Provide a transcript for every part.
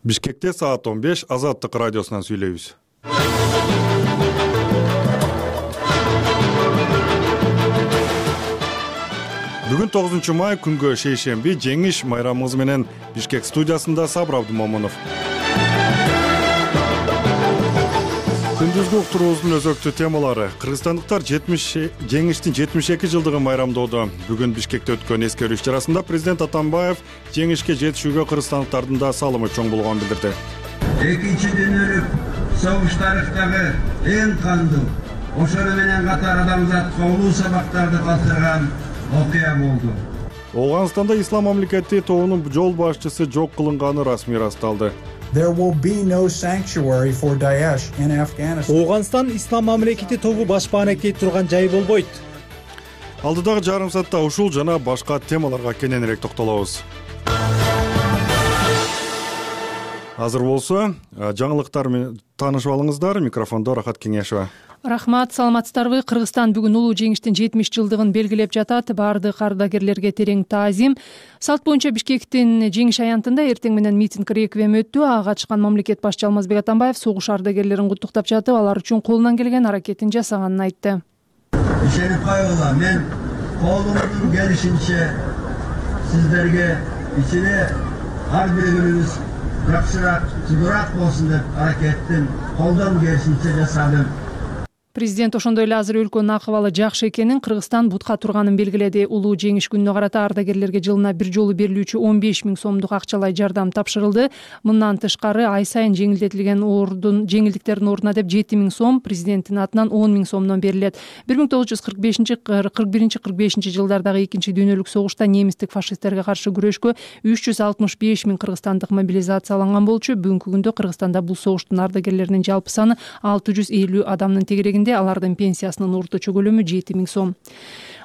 Бишкекте саат 15 Азаттык радиосунан сүйлөйбүз. Бүгүн 9 май күнгө шейшемби жеңиш майрамыбыз менен Бишкек студиясында Сабыр Абдымомунов. Күндүзгү уктуруубуздун өзөктүү темалары: кыргызстандыктар жеңиштин 72 жылдыгын майрамдоодо. Бүгүн Бишкекте өткөн эскерүү иш-чарасында президент Атамбаев жеңишке жетишүүгө кыргызстандыктардын да салымы чоң болгонун билдирди. Экинчи дүйнөлүк согуш тарыхтагы эң кандуу, ошону менен катар адамзатка улуу сабактарды калтырган окуя болду. Ооганстанда ислам мамлекети тобунун жол башчысы жок кылынганы расмий ырасталды. There will be no sanctuary for Daesh in Afghanistan. Ооганстан ислам мамлекети тобу башпаана кетип турган жай болбойт. Алдыдагы жарым саатта ушул жана башка темаларга кененирээк токтолобуз. Азыр болсо, жаңылыктар менен таанышып алыңыздар. Микрофондо Рахат Кеңешева. Рахмат, саламатсыздарбы? Кыргызстан бүгүн улуу жеңиштин 70 жылдыгын белгилеп жатат. Баардык ардагерлерге терең таазим. Салт боюнча Бишкектин жеңиш аянтында эртең менен митинг реквием өттү. Ага чыккан мамлекет башчысы Алмазбек Атамбаев согуш ардагерлерин куттуктап жатып, алар үчүн колунан келген аракетин жасаганын айтты. Ишенип койгула, мен колумдун келишинче сиздерге ичине ар бир күнүңүз жакшыраак, жыгыраак болсун деп аракеттин колдон келишинче жасадым. Президент ошондой эле азыр өлкөнүн акыбалы жакшы экенин, Кыргызстан бутка турганын белгиледи. Улуу жеңиш күнүнө карата ардагерлерге жылына бир жолу берилүүчү 15 000 сомдук акчалай жардам тапшырылды. Мындан тышкары ай сайын жеңилдиктердин ордуна деп 7 000 сом, президенттин атынан 10 000 сомдон берилет. 1945-41 жылдардагы экинчи дүйнөлүк согушта немистик фашисттерге каршы күрөшкө 365 000 кыргызстандык мобилизацияланган болчу. Бүгүнкү күндө Кыргызстанда бул согуштун ардагерлеринин жалпы саны 650 адамдын тегерегинде. Алардын пенсиясынын орточо көлөмү 7 000 сом.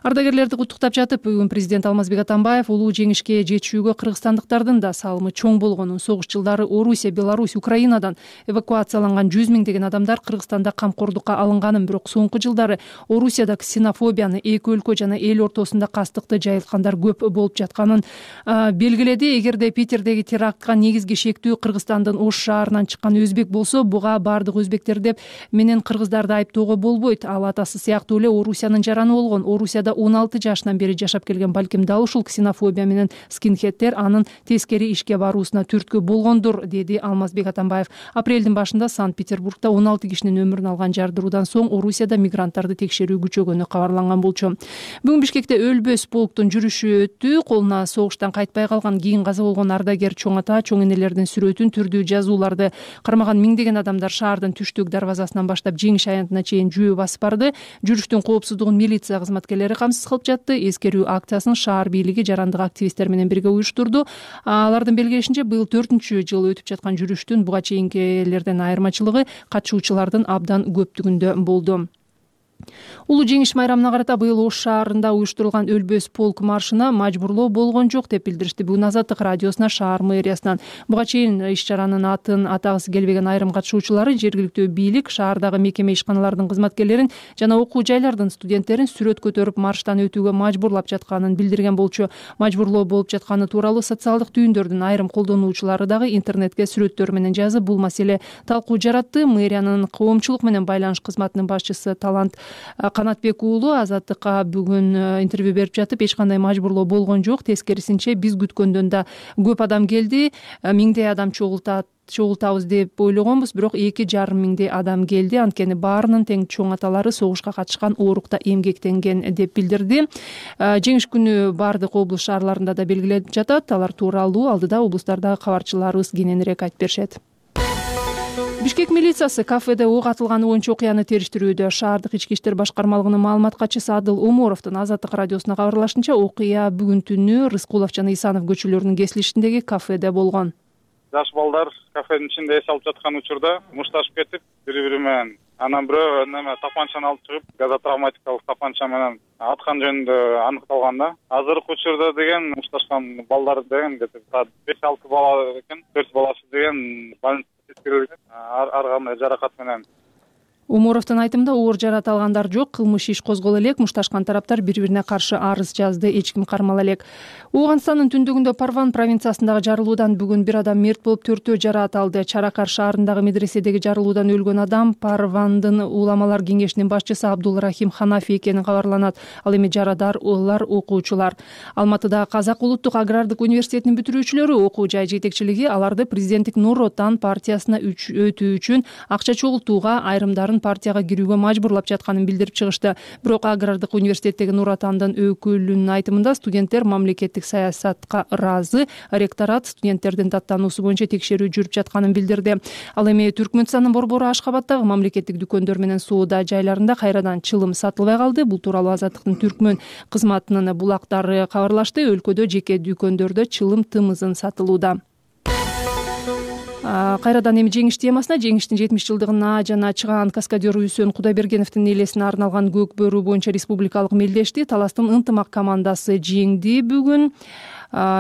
Ардагерлерди куттуктап жатып, бүгүн президент Алмазбек Атамбаев улуу жеңишке жетишүүгө кыргызстандыктардын да салымы чоң болгонун, согуш жылдары Орусия, Беларусь, Украинадан эвакуацияланган 100 000 адамдар Кыргызстанда камкордукка алынганын, бирок соңку жылдары Орусияда ксенофобияны, эки өлкө жана эл ортосунда кастыкты жайылткандар көп болуп жатканын белгиледи. Эгерде Питердеги терактка негизги шектүү Кыргызстандын Ош шаарынан чыккан өзбек болсо, буга баардык өзбектер деп менен кыргыздарды айыптоого болбойт. Ал атасы сыяктуу эле Орусиянын жараны болгон. Орусияда 16 жашынан бери жашап келген, балким дал ушул ксенофобия менен скинхеддер анын тескери ишке баруусуна түрткү болгондур, деди Алмазбек Атамбаев. Апрелдин башында Санкт-Петербургда 16 кишинин өмүрүн алган жардыруудан соң Орусияда мигранттарды текшерүү күчөгөнү кабарланган болчу. Бүгүн Бишкекте өлбөс полктун жүрүшү өттү. Колуна согуштан кайтпай калган, кийин каза болгон ардагер чоң ата, чоң энелердин сүрөтүн, түрдүү жазууларды кармаган миңдеген адамдар шаардын түштүк дарбазасынан баштап жеңиш аянтына чейин жөө басып барды. Жүрүштүн коопсуздугун милиция кызматкерлери камсыз кылып жатты. Эскерүү акциясын шаар бийлиги жарандык активисттер менен бирге уюштурду. Алардын белгилешинче, быйыл 4-чү жыл өтүп жаткан жүрүштүн буга чейинкилерден айырмачылыгы катышуучулардын абдан көптүгүндө болду. Улуу жеңиш майрамына карата быйыл Ош шаарында уюштурулган өлбөс полк маршына мажбурлоо болгон жок деп билдиришти бүгүн Азаттык радиосуна шаар мэриясынан. Буга чейин иш-чаранын атын атагысы келбеген айрым катышуучулары жергиликтүү бийлик шаардагы мекеме ишканалардын кызматкерлерин жана окуу жайлардын студенттерин сүрөт көтөрүп марштан өтүүгө мажбурлап жатканын билдирген болчу. Мажбурлоо болуп жатканы тууралуу социалдык түйүндөрдүн айрым колдонуучулары дагы интернетке сүрөттөр менен жазып, бул маселе талкуу жаратты. Мэриянын коомчулук менен байланыш кызматынын башчысы Талант Канатбек уулу Азаттыкка бүгүн интервью берип жатып, эч кандай мажбурлоо болгон жок, тескерисинче биз күткөндөн да көп адам келди, миңдей адам чогултабыз деп ойлогонбуз, бирок 2,5 миңдей адам келди. Анткени баарынын тең чоң аталары согушка катышкан, оорукта эмгектенген деп билдирди. Жеңиш күнү баардык облус шаарларында да белгиленип жатат. Алар тууралуу алдыда облустардагы кабарчыларыбыз кененирээк айтып беришет. Бишкек милициясы кафеде ок атылганы боюнча окуяны териштирүүдө. Шаардык ички иштер башкармалыгынын маалымат катчысы Адыл Омуровдун Азаттык радиосуна кабарлашынча, окуя бүгүн түнү Рыскулов жана Исанов көчөлөрүнүн кесилишиндеги кафеде болгон. Жаш балдар кафенин ичинде эс алып жаткан учурда мушташып кетип, бири-бири менен анан бирөө тапанчаны алып чыгып, газотравматикалык тапанча менен аткан жөнүндө аныкталган да. Азыркы учурда деген мушташкан балдар деген 5-6 бала экен, 4 баласы деген больницага жеткирилген. Ар кандай жаракат менен Умуровдун айтымында оор жарат алгандар жок, кылмыш иш козголо элек, мушташкан тараптар бири-бирине каршы арыз жазды, эч ким кармала элек. Ооганстандын түндүгүндө Парван провинциясындагы жарылуудан бүгүн бир адам мерт болуп, 4-төө жараат алды. Чаракар шаарындагы медреседеги жарылуудан өлгөн адам Парвандын уламалар кеңешинин башчысы Абдулрахим Ханафи экени кабарланат. Ал эми жарадаарлар окуучулар. Алматыдагы Казак улуттук агрардык университетинин бүтүрүүчүлөрү окуу жай жетекчилиги аларды президенттик Нур Отан партиясына өтүү үчүн акча чогултууга, айрымдарын партияга кирүүгө мажбурлап жатканын билдирип чыгышты. Бирок агрардык университеттеги Нур Отандын өкүлүнүн айтымында студенттер мамлекеттик саясатка ыраазы, ректорат студенттердин даттануусу боюнча текшерүү жүрүп жатканын билдирди. Ал эми Түркмөнстандын борбору Ашкабадтагы мамлекеттик дүкөндөр менен соода жайларында кайрадан чылым сатылбай калды. Бул тууралуу Азаттыктын Түркмөн кызматынын булактары кабарлашты. Өлкөдө жеке дүкөндөрдө чылым тымызын сатылууда. Кайрадан эми жеңиш темасына, жеңиштин 70 жылдыгына жана чыгаан каскадер Үсөн Кудайбергеновдун элесине арналган көк бөрү боюнча республикалык мелдешти Таластын ынтымак командасы жеңди. Бүгүн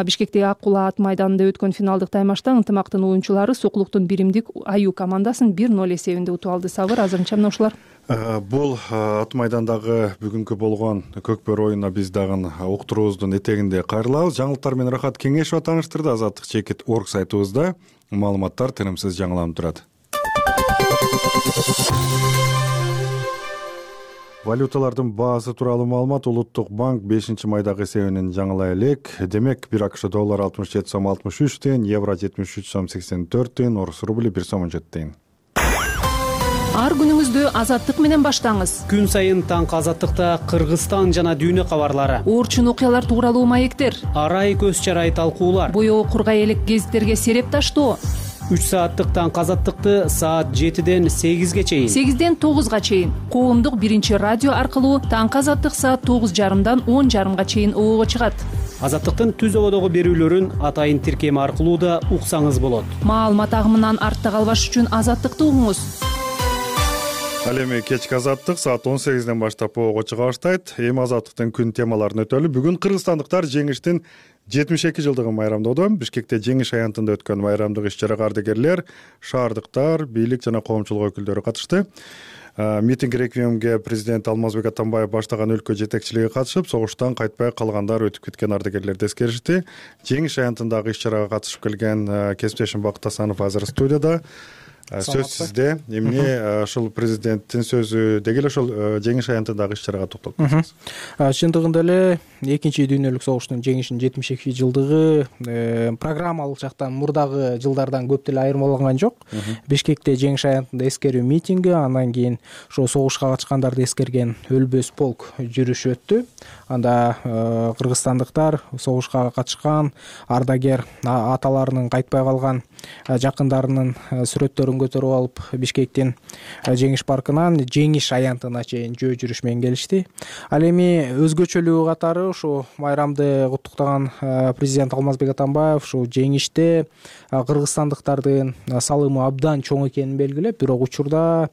Бишкектеги Ак Кула ат майданында өткөн финалдык таймашта ынтымактын оюнчулары Сокулуктун биримдик аю командасын 1-0 эсебинде утуп алды. Сабыр, азырынча мына ушулар. Бул ат майдандагы бүгүнкү болгон көк бөрү оюнуна биз дагы уктуруубуздун этегинде кайрылабыз. Жаңылыктар менен Рахат Кеңешова тааныштырды. Азаттык чекит орг сайтыбызда маалыматтар тынымсыз жаңыланып турат. Валюталардын баасы тууралуу маалымат. Улуттук банк 5-майдагы эсебинин жаңылай элек. Демек, 1 АКШ доллары 67 сом 63 тыйын, евро 73 сом 84 тыйын, орус рубли 1 сом 17 тыйын. Ар күнүңүздү Азаттык менен баштаңыз. Күн сайын таңкы Азаттыкта Кыргызстан жана дүйнө кабарлары, Орчун окуялар тууралуу маектер, арай көз чарай талкуулар, боёо кургай элек гезиттерге сереп таштоо. 3 сааттык таңкы Азаттыкты саат 7ден 8ге чейин, 8ден 9га чейин коомдук биринчи радио аркылуу таңкы Азаттык саат 9:30дан 10:30га чейин оого чыгат. Азаттыктын түз ободогу берүүлөрүн атайын тиркеми аркылуу да уксаңыз болот. Маалымат агымынан артта калбаш үчүн Азаттыкты угуңуз. Ал эми кечки Азаттык саат 18ден баштап оого чыга баштайт. Эми Азаттыктын күн темаларын өтөлү. Бүгүн кыргызстандыктар жеңиштин 72 жылдыгын майрамдоодо. Бишкекте жеңиш аянтында өткөн майрамдык иш-чарага ардагерлер, шаардыктар, бийлик жана коомчулук өкүлдөрү катышты. Митинг реквиемге президент Алмазбек Атамбаев баштаган өлкө жетекчилиги катышып, согуштан кайтпай калгандар өтүп кеткен ардагерлерди эскеришти. Жеңиш аянтындагы иш-чарага катышып келген кесиптешим Бакыт Асанов азыр студияда. Сөз сизде. Эмне ошол президенттин сөзү деги эле ошол жеңиш аянтындагы иш-чарага токтолуп кетсеңиз. Чындыгында эле экинчи дүйнөлүк согуштун жеңишинин 72 жылдыгы программалык жактан мурдагы жылдардан көп деле айырмаланган жок. Бишкекте жеңиш аянтында эскерүү митинги, андан кийин ошо согушка катышкандарды эскерген өлбөс полк жүрүшү өттү. Анда кыргызстандыктар согушка катышкан ардагер аталарынын кайтпай калган жакындарынын сүрөттөрүн көтөрүп алып Бишкектин жеңиш паркынан жеңиш аянтына чейин жөө жүрүш менен келишти. Ал эми өзгөчөлүгү катары ушу майрамды куттуктаган президент Алмазбек Атамбаев ушу жеңиште кыргызстандыктардын салымы абдан чоң экенин белгилеп, бирок учурда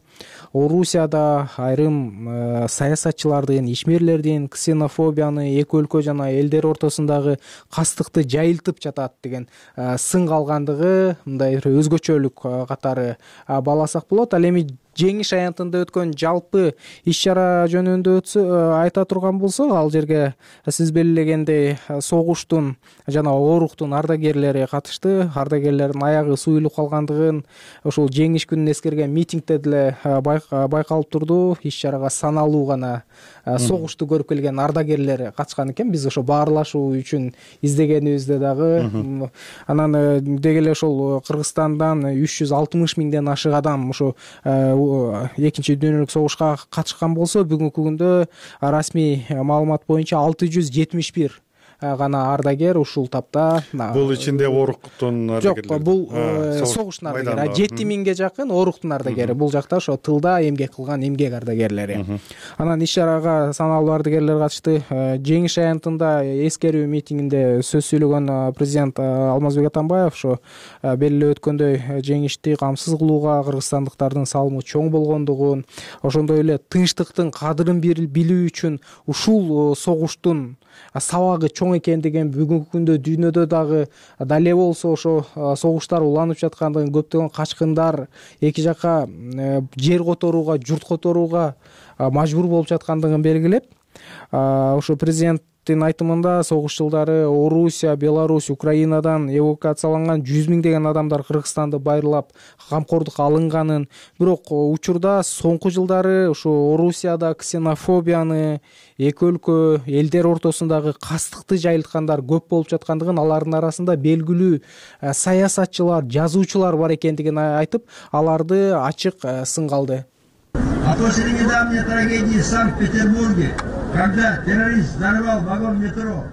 Орусияда айрым саясатчылардын, ишмерлердин ксенофобияны эки өлкө жана элдер ортосундагы кастыкты жайылтып жатат деген сын калгандыгы мындай өзгөчөлүк катары бааласак болот. Ал эми жеңиш аянтында өткөн жалпы иш-чара жөнүндө айта турган болсок, ал жерге сиз белгилегендей согуштун жана ооруктун ардагерлери катышты. Ардагерлердин аягы суюлуп калгандыгын ушул жеңиш күнүн эскерген митингде деле байкалып турду. Иш-чарага саналуу гана согушту көрүп келген ардагерлер катышкан экен. Биз ошо баарлашуу үчүн издегенибизде дагы анан деги эле ошол Кыргызстандан 360 миңден ашык адам ушу экинчи дүйнөлүк согушка катышкан болсо, бүгүнкү күндө расмий маалымат боюнча 671 гана ардагер ушул тапта. Бул ичинде ооруктун ардагерлери жок, бул согуштун ардагери 7000ге жакын ооруктун ардагери. Бул жакта ошо тылда эмгек кылган эмгек ардагерлери. Анан иш-чарага саналуу ардагерлер катышты. Жеңиш аянтында эскерүү митингинде сөз сүйлөгөн президент Алмазбек Атамбаев ошо белгилеп өткөндөй жеңишти камсыз кылууга кыргызстандыктардын салымы чоң болгондугун, ошондой эле тынчтыктын кадырын билүү үчүн ушул согуштун сабагы чоң чоң экендигин, бүгүнкү күндө дүйнөдө дагы дал эле болсо ошо согуштар уланып жаткандыгын, көптөгөн качкындар эки жака жер которууга, журт которууга мажбур болуп жаткандыгын белгилеп, ошо президенттин айтымында согуш жылдары Орусия, Беларусь, Украинадан эвакуацияланган 100 миңдеген адамдар Кыргызстанды байырлап камкордукка алынганын, бирок учурда соңку жылдары ошо Орусияда ксенофобияны, эки өлкө элдер ортосундагы кастыкты жайылткандар көп болуп жаткандыгын, алардын арасында белгилүү саясатчылар, жазуучулар бар экендигин айтып, аларды ачык сынга алды. А после недавней трагедии в Санкт-Петербурге, когда террорист взорвал вагон метро,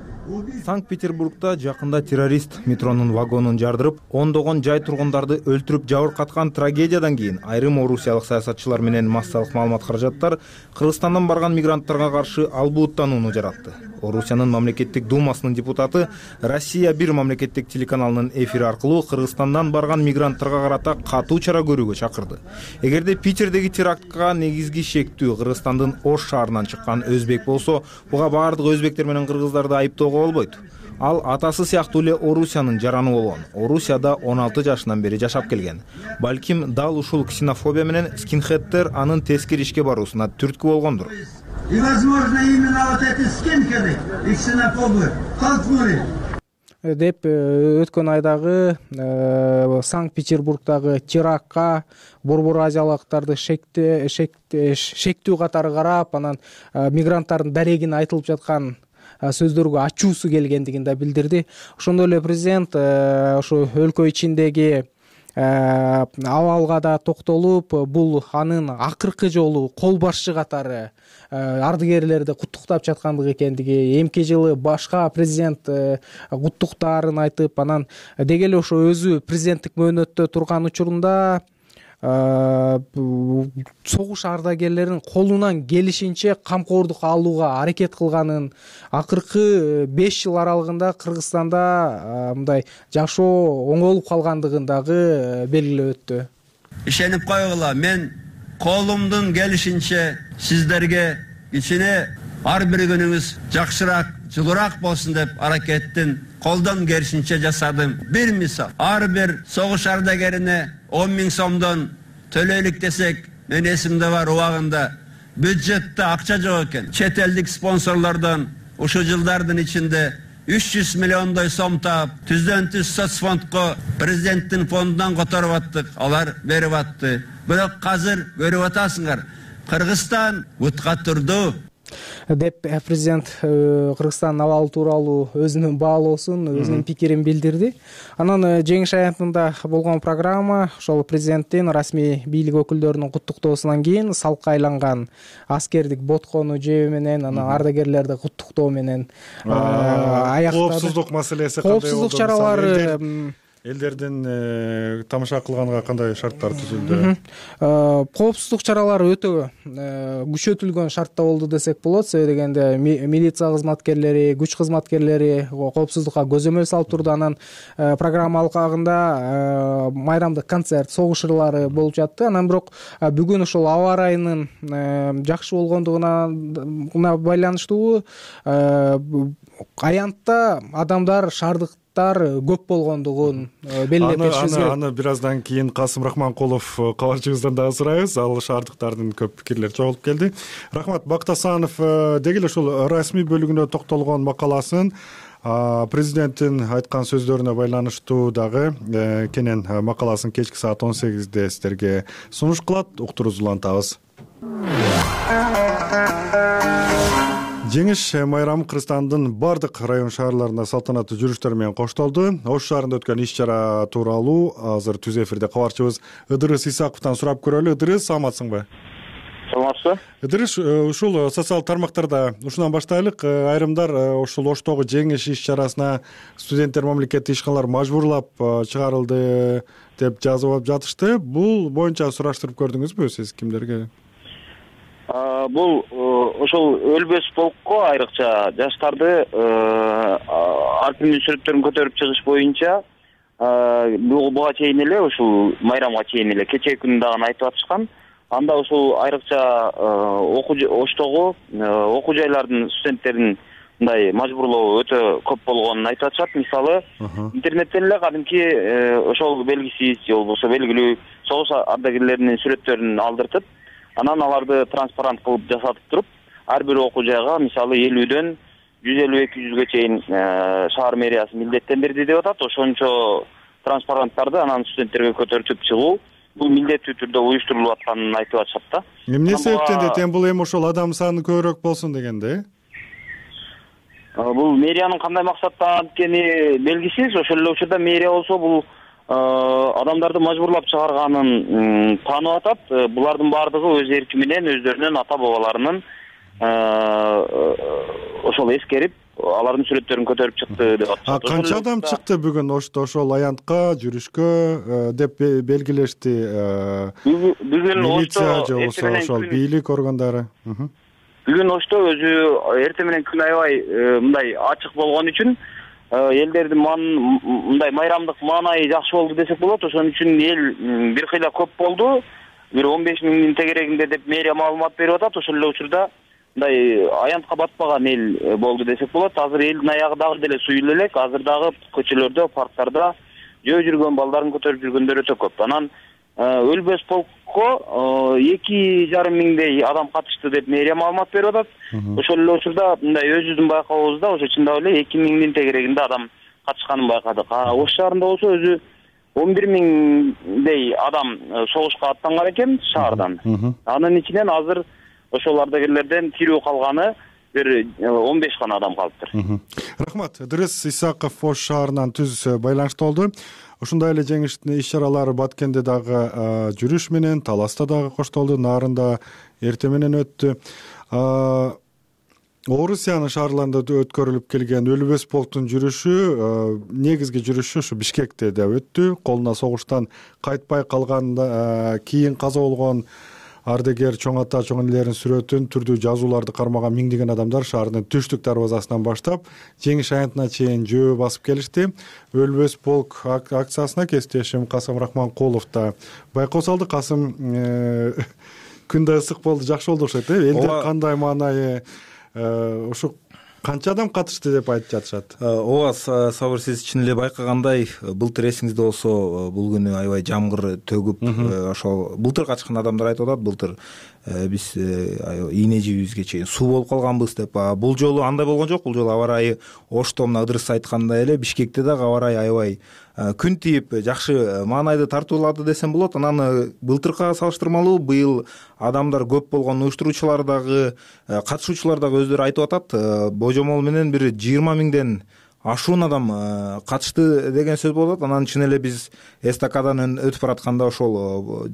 Санкт-Петербургда жакында террорист метронун вагонун жардырып, ондогон жай тургундарды өлтүрүп жабыркаткан трагедиядан кийин айрым орусиялык саясатчылар менен массалык маалымат каражаттар Кыргызстандан барган мигранттарга каршы албуттанууну жаратты. Орусиянын мамлекеттик думасынын депутаты Россия 1 мамлекеттик телеканалынын эфири аркылуу Кыргызстандан барган мигранттарга карата катуу чара көрүүгө чакырды. Эгерде Питердеги терактка негизги шектүү Кыргызстандын Ош шаарынан чыккан өзбек болсо, буга баардык өзбектер менен кыргыздарды айыптоого болбойт. Ал атасы сыяктуу эле Орусиянын жараны болгон. Орусияда 16 жашынан бери жашап келген. Балким дал ушул ксенофобия менен скинхеддер анын тескери ишке баруусуна түрткү болгондур. И, возможно, именно вот эти скинхеды и ксенофобы толкнули деп өткөн айдагы Санкт-Петербургдагы терактка борбор азиялыктарды шектүү катары карап, анан мигранттардын дарегин айтылып жаткан сөздөргө ачуусу келгендигин да билдирди. Ошондой эле президент ошо өлкө ичиндеги абалга да токтолуп, бул анын акыркы жолу кол башчы катары ардыгерлерди куттуктап жаткандыгы экендиги, эмки жылы башка президент куттуктаарын айтып, анан деги эле ошо өзү президенттик мөөнөттө турган учурунда согуш ардагерлерин колунан келишинче камкордук алууга аракет кылганын, акыркы 5 жыл аралыгында Кыргызстанда мындай жашоо оңолуп калгандыгын дагы белгилеп өттү. Ишенип койгула, мен колумдун келишинче сиздерге кичине ар бир күнүңүз жакшыраак, жылуураак болсун деп аракеттин колдон келишинче жасадым. Бир мисал, ар бир согуш ардагерине 10 000 сомдон төлөйлүк десек, мен эсимде бар, убагында бюджетте акча жок экен. Чет элдик спонсорлордон ушул жылдардын ичинде 300 миллиондой сом таап, түздөн түз соцфондко президенттин фондунан которуп аттык, алар берип атты. Бирок азыр көрүп атасыңар, Кыргызстан бутка турду деп президент Кыргызстандын абалы тууралуу өзүнүн баалоосун, өзүнүн пикирин билдирди. Анан жеңиш аянтында болгон программа ошол президенттин расмий бийлик өкүлдөрүнүн куттуктоосунан кийин салкка айланган аскердик боткону жебүү менен, анан ардагерлерди куттуктоо менен аяктады. Коопсуздук маселеси кандай болду? Коопсуздук чаралары элдердин тамаша кылганга кандай шарттар түзүлдү? Коопсуздук чаралары өтө күчөтүлгөн шартта болду десек болот. Себеби дегенде милиция кызматкерлери, күч кызматкерлери коопсуздукка көзөмөл салып турду. Анан программа алкагында майрамдык концерт, согуш ырлары болуп жатты. Анан бирок бүгүн ошол аба ырайынын жакшы болгондугуна байланыштуу аянтта адамдар, шаардык көп болгондугун белгилеп кетишибиз керек. Аны бир аздан кийин Касым Рахманкулов кабарчыбыздан дагы сурайбыз. Ал шаардыктардын көп пикирлери чогулуп келди. Рахмат. Бакыт Асанов деги эле ушул расмий бөлүгүнө токтолгон макаласын президенттин айткан сөздөрүнө байланыштуу дагы кенен макаласын кечки саат 18-де сиздерге сунуш кылат. Уктуруңузду улантабыз. Жеңиш майрамы Кыргызстандын бардык район шаарларында салтанаттуу жүрүштөр менен коштолду. Ош шаарында өткөн иш-чара тууралуу азыр түз эфирде кабарчыбыз Ыдырыс Исаковдон сурап көрөлү. Ыдырыс, саламатсыңбы? Саламатсызбы? Ыдырыс, ушул социалдык тармактарда ушунан баштайлык. Айрымдар ушул Оштогу жеңиш иш-чарасына студенттер мамлекеттик ишканалар мажбурлап чыгарылды деп жазып жатышты. Бул боюнча сураштырып көрдүңүзбү сиз кимдерге? Бул ошол өлбөс полкко айрыкча жаштарды аркимдин сүрөттөрүн көтөрүп чыгыш боюнча буга чейин эле ушул майрамга чейин эле кечээ күнү дагы айтып атышкан. Анда ушул айрыкча Оштогу окуу жайлардын студенттерин мындай мажбурлоо өтө көп болгонун айтып атышат. Мисалы, интернеттен эле кадимки ошол белгисиз же болбосо белгилүү согуш ардагерлеринин сүрөттөрүн алдыртып, анан аларды транспарант кылып жасатып туруп, ар бир окуу жайга мисалы 50дөн 150-200ге чейин шаар мэриясы милдеттендирди деп атат. Ошончо транспаранттарды анан студенттерге көтөрүп чыгуу бул милдеттүү түрдө уюштурулуп атканын айтып атышат да. Эмне себептен деп бул эми ошол адам саны көбүрөөк болсун дегенде? Бул мэриянын кандай максатта анткени белгисиз. Ошол эле учурда мэрия болсо бул адамдарды мажбурлап чыгарганын таанып атат. Булардын баардыгы өз эрки менен өздөрүнүн ата бабаларынын ошол эскерип, алардын сүрөттөрүн көтөрүп чыкты деп атышат. Канча адам чыкты бүгүн ошол аянтка, жүрүшкө деп белгилешти? Бүгүн милиция же болбосо ошол бийлик органдары? Бүгүн Ошто өзү эртең менен күн аябай мындай ачык болгон үчүн элдердин мындай майрамдык маанайы жакшы болду десек болот. Ошон үчүн эл бир кыйла көп болду. Бир 15 миңдин тегерегинде деп мэрия маалымат берип атат. Ошол эле учурда мындай аянтка батпаган эл болду десек болот. Азыр элдин аягы дагы деле суюл элек. Азыр дагы көчөлөрдө, парктарда жөө жүргөн балдарын көтөрүп жүргөндөр өтө көп. Анан өлбөс полкко 2,5 миңдей адам катышты деп мэрия маалымат берип атат. Ошол эле учурда мындай өзүбүздүн байкообузда ошо чындап эле 2 миңдин тегерегинде адам катышканын байкадык. Ош шаарында болсо өзү 11 миңдей адам согушка аттанган экен шаардан. Анын ичинен азыр ошол ардагерлерден тирүү калганы бир 15 гана адам калыптыр. Рахмат. Дрис Исаков Ош шаарынан түз байланышта болду. Ошондой эле жеңиштин иш-чаралары Баткенде дагы жүрүш менен, Таласта дагы коштолду, Нарында эртең менен өттү. Орусиянын шаарларында өткөрүлүп келген өлбөс полктун жүрүшү, негизги жүрүшү ушу Бишкекте да өттү. Колуна согуштан кайтпай калганда кийин каза болгон ардагер чоң ата, чоң энелердин сүрөтүн түрдүү жазууларды кармаган миңдеген адамдар шаардын түштүк дарбазасынан баштап жеңиш аянтына чейин жөө басып келишти. Өлбөс полк акциясына кесиптешим Касым Рахманкулов да байкоо салды. Касым, күн да ысык болду, жакшы болду окшойт. Элде кандай маанайы, ушу канча адам катышты деп айтып жатышат? Ооба, Сабыр, сиз чын эле байкагандай, былтыр эсиңизде болсо бул күнү аябай жамгыр төгүп, ошол былтыр катышкан адамдар айтып атат, былтыр биз ийне жибибизге чейин суу болуп калганбыз деп. Бул жолу андай болгон жок. Бул жолу аба ырайы Ошто мына Ыдырыс айткандай эле Бишкекте дагы аба ырайы аябай күн тийип, жакшы маанайды тартуулады десем болот. Анан былтыркыга салыштырмалуу быйыл адамдар көп болгон, уюштуруучулар дагы, катышуучулар дагы өздөрү айтып атат. Божомол менен бир 20 миңден ашуун адам катышты деген сөз болот. Анан чын эле биз эстакадан өтүп баратканда ошол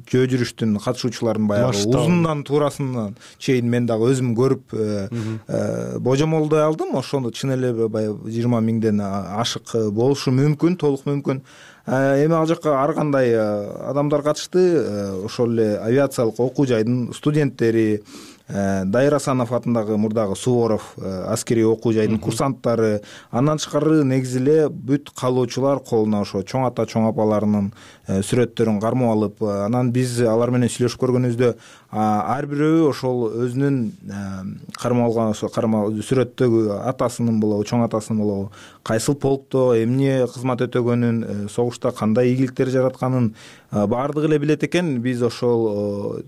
жөө жүрүштүн катышуучуларын баягы узундан туурасынан чейин мен дагы өзүм көрүп божомолдой алдым. Ошондо чын эле баягы 20 миңден ашык болушу мүмкүн, толук мүмкүн. Эми ал жакка ар кандай адамдар катышты. Ошол эле авиациялык окуу жайдын студенттери, Дайыр Асанов атындагы мурдагы Суворов аскерий окуу жайдын курсанттары, андан тышкары негизи эле бүт каалоочулар колуна ошо чоң ата, чоң апаларынын сүрөттөрүн кармап алып, анан биз алар менен сүйлөшүп көргөнүбүздө ар бирөө ошол өзүнүн кармап алган ошо сүрөттөгү атасынын болобу, чоң атасынын болобу, кайсыл полкто эмне кызмат өтөгөнүн, согушта кандай ийгиликтер жаратканын баардыгы эле билет экен. Биз ошол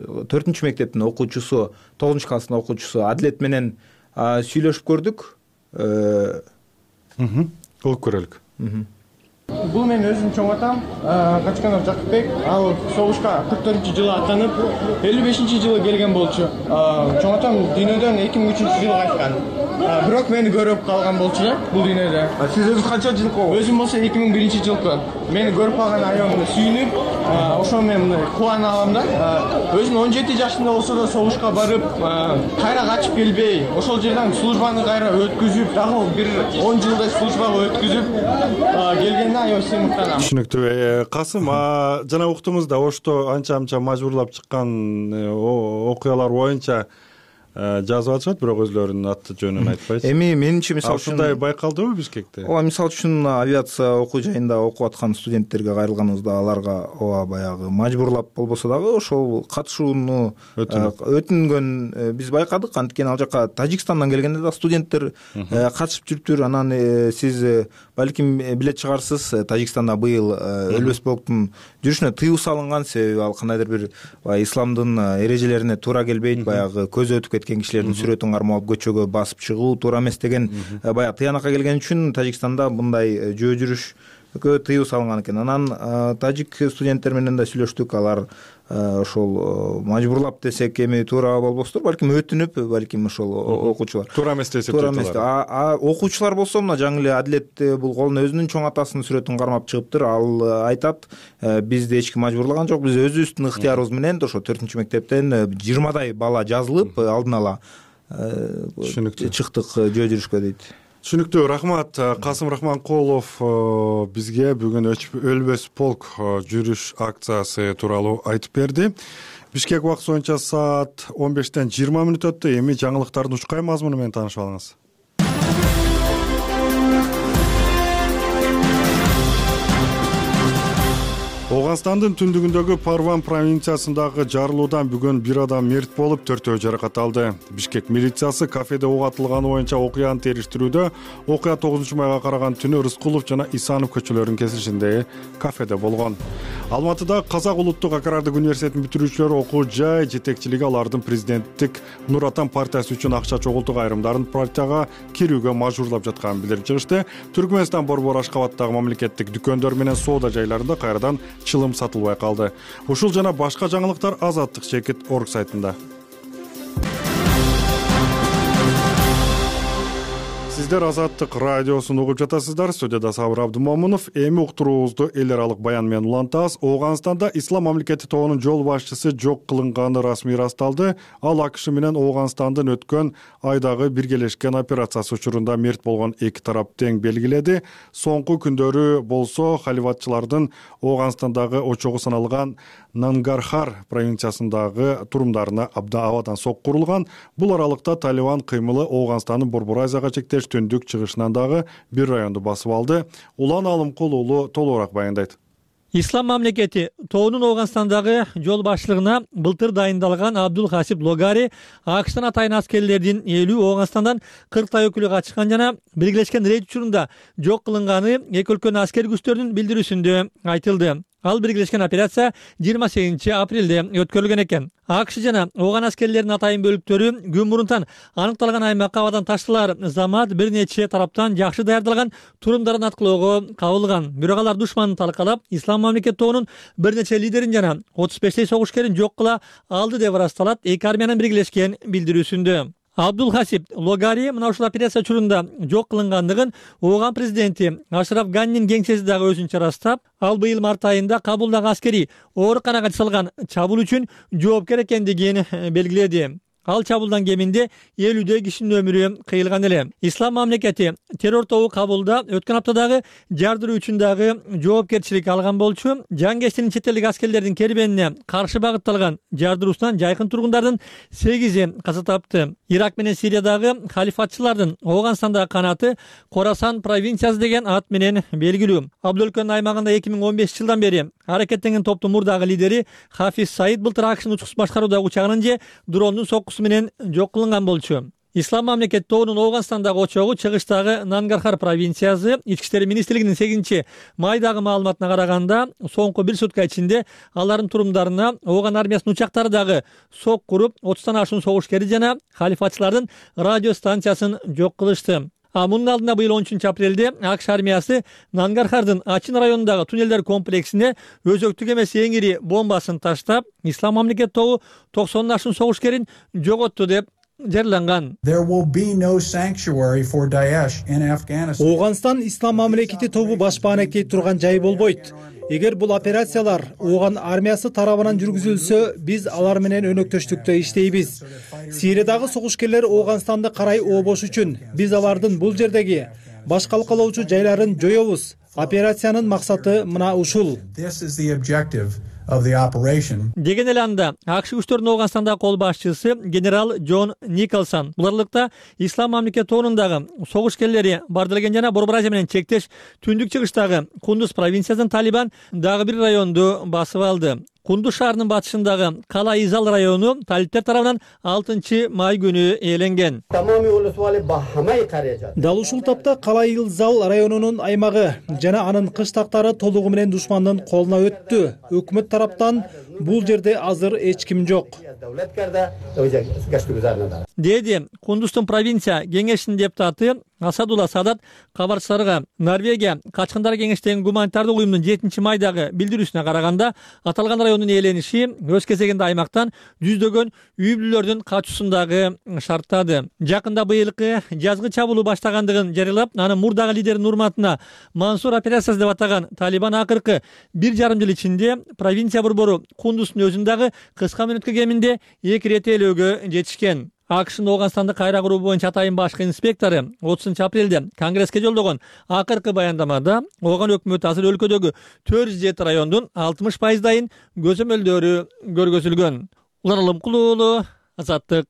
4 мектептин окуучусу, 9 класстын окуучусу Адилет менен сүйлөшүп көрдүк. Угуп көрөлүк. Бул менин өзүмдүн чоң атам, Качканов Жакыпбек. Ал согушка 44-жылы аттанып, 55-жылы келген болчу. Чоң атам дүйнөдөн 2003-жылы кайткан. Бирок мени көрүп калган болчу бул дүйнөдө. Сиз өзүңүз канча жылкы? Өзүм болсо 2001-жылкы. Мени көрүп калган аябай сүйүнүп, ошо мен кубана алам да. Өзүм 17 жашында болсо да согушка барып, кайра качып келбей, ошол жерден службаны кайра өткүзүп, дагы бир 10 жылдай службага өткүзүп келгенде аябай сыймыктанам. Түшүнүктүү. Касым, жана уктуңуз да Ошто анча мажбурлап чыккан окуялар боюнча жазып атышат, бирок өзлөрүнүн аты жөнүн айтпайсыз. Эми менимче мисалы үчүн ушундай байкалдыбы Бишкекте? ооба, мисалы үчүн авиация окуу жайында окуп аткан студенттерге кайрылганыбызда аларга ооба баягы мажбурлап болбосо дагы ошол катышууну өтүнгөн биз байкадык. Анткени ал жака Тажикстандан келгенде да студенттер катышып жүрүптүр. Анан сиз балким билет чыгарсыз, Тажикстанда быйыл өлбөс полктун жүрүшүнө тыюу салынган, себеби ал кандайдыр бир исламдын эрежелерине туура келбейт. Баягы көзү өтүп кеткен кишилердин сүрөтүн кармап көчөгө басып чыгуу туура эмес деген баягы тыянакка келген үчүн Тажикстанда мындай жөө жүрүшкө тыюу салынган экен. Анан тажик студенттер менен да сүйлөштүк. Алар ошол мажбурлап десек эми туура болбостур, балким өтүнүп, балким ошол окуучулар туура эмес десек, туура эмес. Окуучулар болсо мына жаңы эле Адилет бул колуна өзүнүн чоң атасынын сүрөтүн кармап чыгыптыр. Ал айтат, бизди эч ким мажбурлаган жок, биз өзүбүздүн ыктыярыбыз менен ошо 4-мектептен 20дай бала жазылып алдын ала чыктык жөө жүрүшкө дейт. Түшүнүктүү, рахмат. Касым Рахманкулов бизге бүгүн өлбөс полк жүрүш акциясы тууралуу айтып берди. Бишкек убакыты боюнча саат 15-тен 20 өттү. Эми жаңылыктардын учкай мазмуну менен таанышып алыңыз. Ооганстандын түндүгүндөгү Парван провинциясындагы жарылуудан бүгүн бир адам мерт болуп, 4 жаракат алды. Бишкек милициясы кафеде ок атылганы боюнча окуяны териштирүүдө. Окуя 9-майга караган түнү Рыскулов жана Исанов көчөлөрүнүн кесилишиндеги кафеде болгон. Алматыда Казак улуттук агрардык университетинин бүтүрүүчүлөрү окуу жай жетекчилиги алардын президенттик Нур Атан партиясы үчүн акча чогултук айрымдарын партияга кирүүгө мажбурлап жатканын билдирип чыгышты. Түркмөнстан Борбор Ашкабадтагы мамлекеттик дүкөндөр менен соода жайларында кайрадан чылым сатылбай калды. Ушул жана башка жаңылыктар Азаттык Чекит орг сайтында. Сиздер Азаттык радиосун угуп жатасыздар. Студияда Сабыр Абдымомунов. Эми уктуруубузду эл аралык баян менен улантабыз. Ооганстанда Ислам мамлекети тобунун жол башчысы жок кылынганы расмий ырасталды. Ал АКШ менен Ооганстандын өткөн айдагы биргелешкен операциясы учурунда мерт болгон эки тарап тең белгиледи. Соңку күндөрү болсо халифатчылардын Ооганстандагы очогу саналган Нангархар провинциясындагы турумдарына абдан сок курулган. Бул аралыкта Талибан кыймылы Ооганстандын Борбор Азияга чектеш түндүк чыгышынан дагы бир районду басып алды. Улан Алымкул уулу толугураак баяндайт. Ислам мамлекети тобунун Ооганстандагы жол башчылыгына былтыр дайындалган Абдул Хасип Логари АКШтан атайын аскерлердин 50 Ооганстандан 40 өкүлү качкан жана биргелешкен рейд учурунда жок кылынганы эки өлкөнүн аскер күчтөрүнүн билдирүүсүндө айтылды. Ал биргелешкен операция 28 апрелде өткөрүлгөн экен. АКШ жана Ооган аскерлеринин атайын бөлүктөрү күн мурунтан аныкталган аймакка абадан ташталар замат бир нече тараптан жакшы даярдалган турумдарын аткылоого кабылган. Бирок алар душманды талкалап, Ислам мамлекет тобунун бир нече лидерин жана 35 согушкерин жок кыла алды деп ырасталат эки армиянын биргелешкен билдирүүсүндө. Абдул Хасип Логари мына ушул операция учурунда жок кылынгандыгын Ооган президенти Ашраф Ганнин кеңсеси дагы өзүнчө ырастап, ал быйыл март айында Кабулдагы аскерий ооруканага жасалган чабуул үчүн жоопкер экендигин белгиледи. Ал чабуулдан кеминде 50 кишинин өмүрү кыйылган эле. Ислам мамлекети террор тобу Кабулда өткөн аптадагы жардыруу үчүн дагы жоопкерчилик алган болчу. Жангештин чет элдик аскерлердин кербенине каршы багытталган жардыруусунан жайкын тургундардын 8 каза тапты. Ирак менен Сириядагы халифатчылардын Ооганстандагы канаты Корасан провинциясы деген ат менен белгилүү. Абдул өлкөнүн аймагында 2015 жылдан бери аракеттенген топтун мурдагы лидери Хафиз Саид былтыр АКШнын учкус башкаруудагы учагынын же дрондун соккусу менен жок кылынган болчу. Ислам мамлекет тобунун Ооганстандагы очогу чыгыштагы Нангархар провинциясы. Ички иштер министрлигинин 8 майдагы маалыматына караганда, соңку бир сутка ичинде алардын турумдарына Ооган армиясынын учактары дагы сок куруп, 30тан ашуун согушкери жана халифатчылардын радио станциясын жок кылышты. Мунун алдында быйыл 13 апрелде АКШ армиясы Нангархардын Ачин районундагы туннелдер комплексине өзөктүк эмес эң ири бомбасын таштап, Ислам мамлекет тобу 90 ашуун согушкерин жоготту деп жарыяланган. Ооганстан Ислам мамлекети тобу баш баанектей турган жай болбойт. Эгер бул операциялар Ооган армиясы тарабынан жүргүзүлсө, биз алар менен өнөктөштүктө иштейбиз. Сириядагы согушкерлер Ооганстанды карай ообош үчүн биз алардын бул жердеги баш калкалоочу жайларын жоёбуз. Операциянын максаты мына ушул. of the operation. Деген эле анда АКШ күчтөрүнүн Ооганстандагы кол башчысы генерал Джон Николсон буларлыкта ислам мамлекети тоонундагы согушкерлери бардырген жана Борбор Азия менен чектеш түндүк чыгыштагы Кундуз провинциясынын Талибан дагы бир районду басып алды. Кундуз шаарынын батышындагы Кала Изал району талиптер тарабынан 6-май күнү ээленген. Дал ушул тапта Кала Изал районунун аймагы жана анын кыштактары толугу менен душмандын колуна өттү. Өкмөт тараптан бул жерде азыр эч ким жок, деди Кундуздун провинция кеңешинин депутаты Асадулла Садат кабарчыларга. Норвегия Качкындар кеңештигин гуманитардык уюмдун 7-майдагы билдирүүсүнө караганда, аталган райондун ээлениши өз кезегинде аймактан жүздөгөн үй бүлөлөрдүн качуусундагы шарттады. Жакында быйылкы жазгы чабуулу баштагандыгын жарыялап, анын мурдагы лидеринин урматына Мансур операциясы деп атаган Талибан акыркы 1,5 жыл ичинде провинция борбору Кундуздун өзүндагы кыска мөөнөткө кеминде 2 ирет ээлөөгө жетишкен. АКШнын Ооганстанды кайра куруу боюнча атайын башкы инспектору 30-апрелде Конгресске жолдогон акыркы баяндамада ооган өкмөт азыр өлкөдөгү 407 райондун 60%дайын көзөмөлдөрү көргөзүлгөн. Улан Алымкулуу уулу, Азаттык.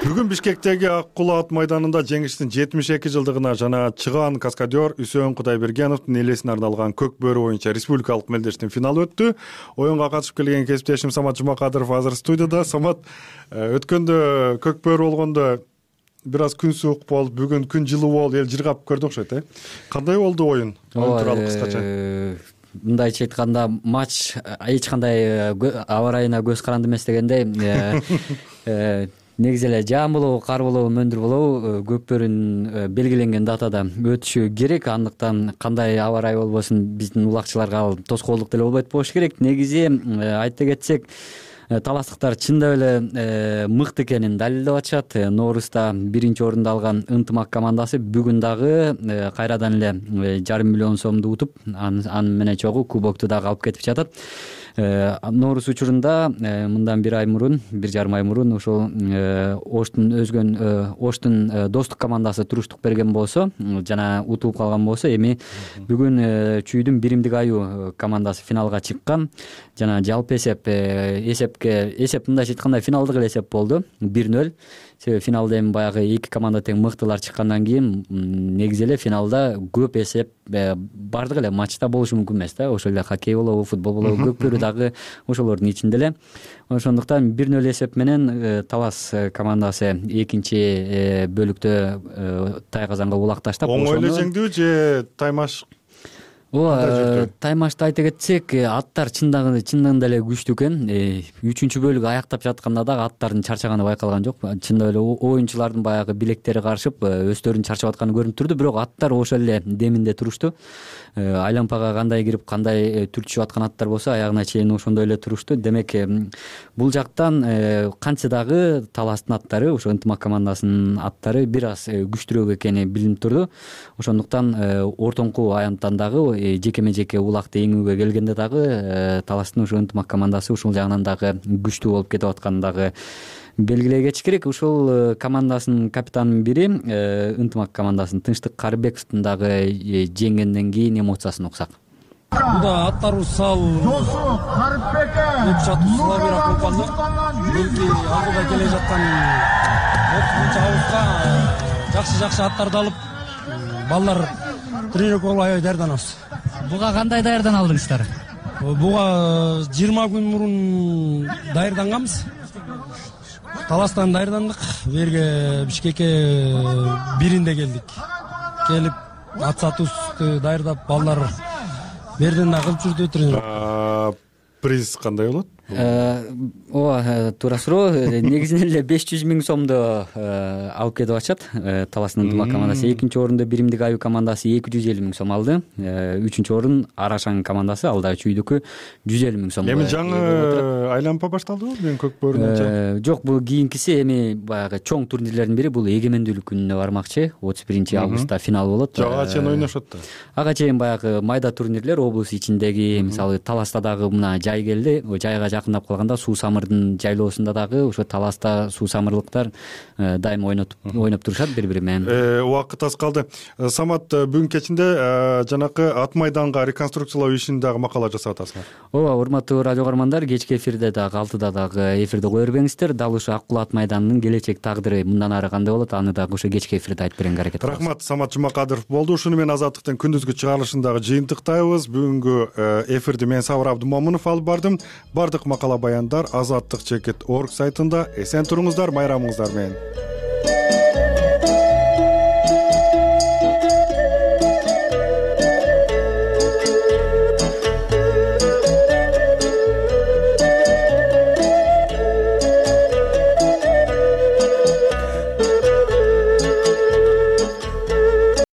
Бүгүн Бишкектеги Ак Кулуу ат майданында жеңиштин 72 жылдыгына жана чыгаан каскадер Үсөн Кудайбергеновдун элесине арналган көк бөрү боюнча республикалык мелдештин финалы өттү. Оюнга катышып келген кесиптешим Самат Жумакадыров азыр студияда. Самат, өткөндө көк бөрү болгондо бир аз күн суук болуп, бүгүн күн жылуу болуп, эл жыргап көрдү окшойт, Кандай болду оюн? Оюн тууралуу кыскача. Мындайча айтканда, матч эч кандай аба ырайына көз каранды эмес дегендей. Негизи эле жаан болобу, кар болобу, мөндүр болобу, көк бөрүнүн белгиленген датада өтүшү керек. Андыктан кандай аба ырайы болбосун, биздин улакчыларга ал тоскоолдук деле болбойт болуш керек. Негизи айта кетсек, таластыктар чындап эле мыкты экенин далилдеп атышат. Ноорузда 1-орунду алган Ынтымак командасы бүгүн дагы кайрадан эле 5,5 миллион сомду утуп, аны менен чогуу кубокту дагы алып кетип жатат. Ноорус учурунда мындан 1,5 ай мурун ошол Оштун достук командасы туруштук берген болсо жана утулуп калган болсо, эми бүгүн Чүйдүн Биримдик аю командасы финалга чыккан жана жалпы эсеп мындайча айтканда финалдык эле эсеп болду, 1-0. Себеби финалда эми баягы эки команда тең мыктылар чыккандан кийин негизи эле финалда көп эсеп бардык эле матчта болушу мүмкүн эмес да. Ошол эле хоккей болобу, футбол болобу, көк бөрү дагы ошолордун ичинде эле. Ошондуктан 1-0 эсеп менен Талас командасы экинчи бөлүктө Тайказанга улакташтап. Оңой эле жеңдиби же таймаш? Таймашты айта кетсек, аттар чындыгында эле күчтүү экен. 3-бөлүк аяктап жатканда дагы аттардын чарчаганы байкалган жок. Чындап эле оюнчулардын баягы билектери карышып, өздөрүнүн чарчап атканы көрүнүп турду, бирок аттар ошол эле деминде турушту. Айлампага кандай кирип, кандай түртүшүп аткан аттар болсо, аягына чейин ошондой эле турушту. Демек, бул жактан кантсе дагы Таластын аттары, ошо Ынтымак командасынын аттары бир аз күчтүүрөөк экени билинип турду. Ошондуктан ортоңку аянттан дагы жекеме-жеке улакты эңүүгө келгенде дагы Таластын ошо Ынтымак командасы ушул жагынан дагы күчтүү болуп кетип атканын дагы белгилей кетиш керек. Ушул командасынын капитанынын бири Ынтымак командасын Тынчтык Карыбековдун дагы жеңгенден кийин эмоциясын уксак. Буда аттарыбыз сал Славира компанды белки алдыда келе жаткан 30-августка жакшы аттарды алып балдар тренировкага аябай даярданабыз. Буга кандай даярдан алдыңыздар? Буга 20 күн мурун даярданганбыз. Таластан даярдандык, берге Бишкекке 1-инде келдик. Келип ат сатуусу даярдап, балдар берден да кылып жүрдү тренировка. Приз кандай болот? Туура суроо. Негизинен эле 500 000 сомду алып кетип атышат. Таластын Ынтымак командасы 2-орунду Биримдик аю командасы 250 000 сом алды. 3-орун Арашаң командасы, ал дагы Чүйдүкү 150 000 сом. Эми жаңы айлампа башталдыбы? Мен көк бөрүнүн жок, бул кийинкиси эми баягы чоң турнирлердин бири. Бул эгемендүүлүк күнүнө бармакчы. 31-августта финал болот. Ага чейин ойношот да. Ага чейин баягы майда турнирлер облус ичиндеги, мисалы Таласта дагы мына жай келди. Жайга жакындап калганда суу самырдын жайлоосунда дагы ошо таласта суу самырлыктар дайыма ойноп турушат бири бири менен. Убакыт аз калды. Самат, бүгүн кечинде жанакы ат майданга реконструкциялоо ишин дагы макала жасап атасыңар. Ооба, урматтуу радио каармандар, кечки эфирде дагы 6-да дагы эфирди кое бербеңиздер. Дал ушул Ак Кул ат майданынын келечек тагдыры мындан ары кандай болот, аны дагы ошо кечки эфирде айтып беренге аракет кылабыз. Рахмат, Самат Жумакадыров болду. Ушуну менен Азаттыктын күндүзгү чыгарылышын дагы жыйынтыктайбыз. Бүгүнкү эфирди мен Сабыр Абдымомунов алып бардым. Бардык макала баяндар Азаттык.org сайтында. Эсен туруңуздар, майрамыңыздар менен.